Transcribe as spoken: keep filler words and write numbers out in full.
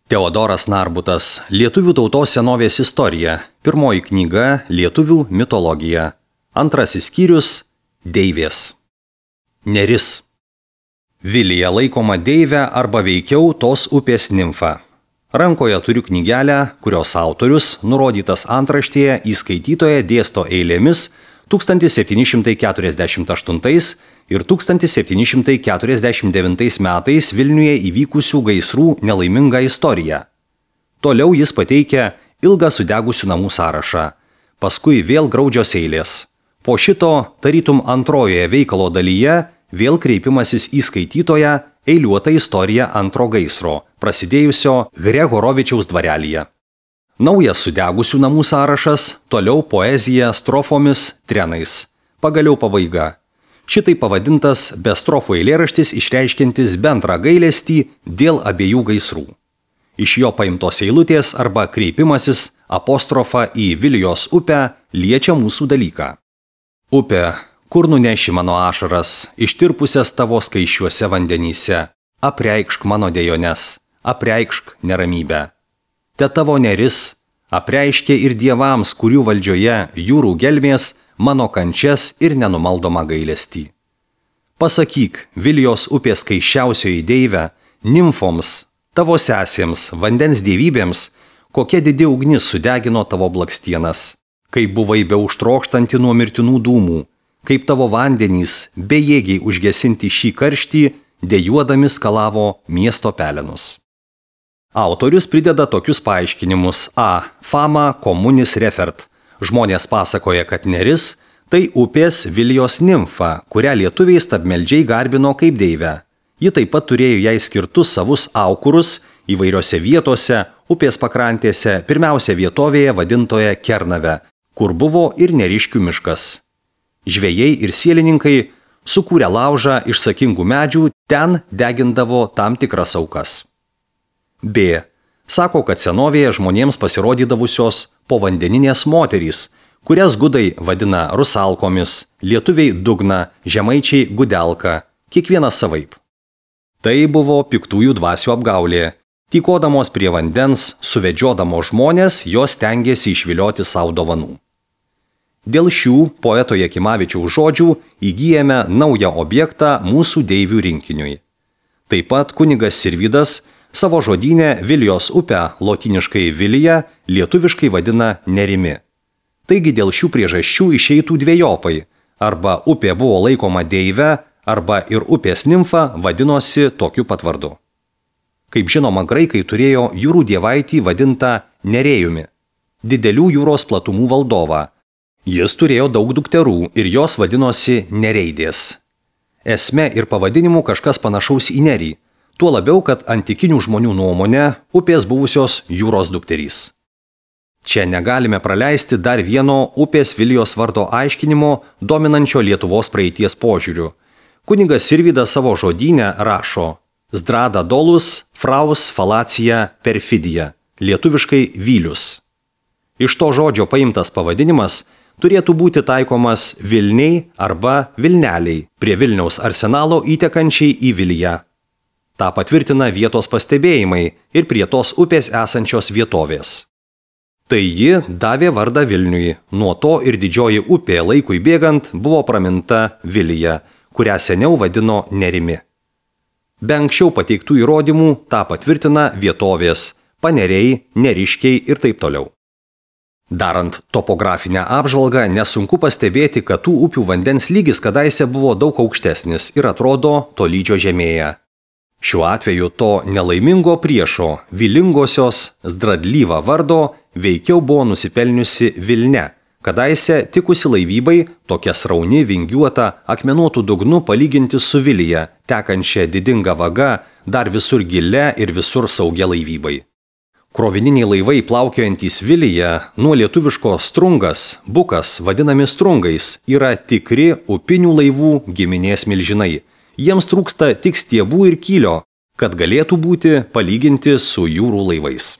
Teodoras Narbutas, Lietuvių tautos senovės istorija, pirmoji knyga Lietuvių mitologija, antrasis skyrius Deivės. Neris. Vilija laikoma deive arba veikiau tos upės nimfa. Rankoje turiu knygelę, kurios autorius, nurodytas antraštėje, įskaitytoje dėsto eilėmis tūkstantis septyni šimtai keturiasdešimt aštuntais ir tūkstantis septyni šimtai keturiasdešimt devintais metais Vilniuje įvykusių gaisrų nelaimingą istoriją. Toliau jis pateikia ilgą sudegusių namų sąrašą. Paskui vėl graudžios eilės. Po šito, tarytum antrojoje veikalo dalyje, vėl kreipimasis į skaitytoją eiliuota istorija antro gaisro, prasidėjusio Gregorovičiaus dvarelyje. Naujas sudegusių namų sąrašas, toliau poezija strofomis, trenais. Pagaliau pabaiga. Šitai pavadintas be strofų eilėraštis išreiškiantis bendrą gailestį dėl abiejų gaisrų. Iš jo paimtos eilutės arba kreipimasis apostrofa į Vilijos upę liečia mūsų dalyką. Upė, kur nuneši mano ašaras, ištirpusias tavo skaičiuose vandenyse, apreikšk mano dejones, apreikšk neramybę. Te tavo neris apreiškė ir dievams, kurių valdžioje jūrų gelmės, mano kančias ir nenumaldomą gailestį. Pasakyk Vilijos upės skaičiausioji deive, nimfoms, tavo sesėms, vandens dievybėms, kokia didi ugnis sudegino tavo blakstienas, kaip buvai beauštrokštanti nuo mirtinų dūmų, kaip tavo vandenys bejėgiai užgesinti šį karštį, dejuodami skalavo miesto pelenus. Autorius prideda tokius paaiškinimus. A. Fama communis refert. Žmonės pasakoja, kad Neris tai upės Vilijos nimfa, kurią lietuviai stabmeldžiai garbino kaip deivę. Ji taip pat turėjo jai skirtus savus aukurus įvairiose vietose, upės pakrantėse, pirmiausia vietovėje vadintoje Kernave, kur buvo ir Neriškių miškas. Žvejai ir sielininkai sukūrė laužą iš sakingų medžių, ten degindavo tam tikras aukas. B. Sako, kad senovėje žmonėms pasirodydavusios povandeninės moterys, kurias gudai vadina rusalkomis, lietuviai dugna, žemaičiai gudelka, kiekvienas savaip. Tai buvo piktųjų dvasių apgaulė. Tykodamos prie vandens, suvedžiodamos žmonės, jos stengėsi išvilioti savo dovanų. Dėl šių poeto Jakimavičiaus žodžių įgyjame naują objektą mūsų deivių rinkiniui. Taip pat kunigas Sirvydas savo žodyne Vilijos upę, lotyniškai Vilija, lietuviškai vadina Nerimi. Taigi dėl šių priežasčių išeitų dvejopai, arba upė buvo laikoma deive, arba ir upės nimfa vadinosi tokiu pat vardu. Kaip žinoma, graikai turėjo jūrų dievaitį vadintą Nerėjumi, didelių jūros platumų valdovą. Jis turėjo daug dukterų ir jos vadinosi Nereidės. Esme ir pavadinimu kažkas panašaus į Nerį. Tuo labiau, kad antikinių žmonių nuomonė upės buvusios jūros dukterys. Čia negalime praleisti dar vieno upės Vilijos vardo aiškinimo dominančio Lietuvos praeities požiūriu. Kunigas Sirvydas savo žodyne rašo Zdrada dolus, fraus falacija perfidija, lietuviškai Vylius. Iš to žodžio paimtas pavadinimas turėtų būti taikomas Vilniai arba Vilneliai, prie Vilniaus arsenalo įtekančiai į Viliją. Ta patvirtina vietos pastebėjimai ir prie tos upės esančios vietovės. Tai ji davė vardą Vilniui, nuo to ir didžioji upė laikui bėgant buvo praminta Vilija, kurią seniau vadino Nerimi. Be anksčiau pateiktų įrodymų tą patvirtina vietovės, paneriai, neriškiai ir taip toliau. Darant topografinę apžvalgą, nesunku pastebėti, kad tų upių vandens lygis kadaise buvo daug aukštesnis ir atrodo tolydžio žemėje. Šiuo atveju to nelaimingo priešo, vilingosios Zdradlyva vardo, veikiau buvo nusipelniusi Vilne, kadaise tikusi laivybai, tokia srauni, vingiuota, akmenuotų dugnu palyginti su Vilija, tekančia didinga vaga, dar visur gilia ir visur saugia laivybai. Krovininiai laivai plaukiojantys Vilija, nuo lietuviško strungas, bukas, vadinami strungais, yra tikri upinių laivų giminės milžinai. Jiems trūksta tik stiebų ir kylio, kad galėtų būti palyginti su jūrų laivais.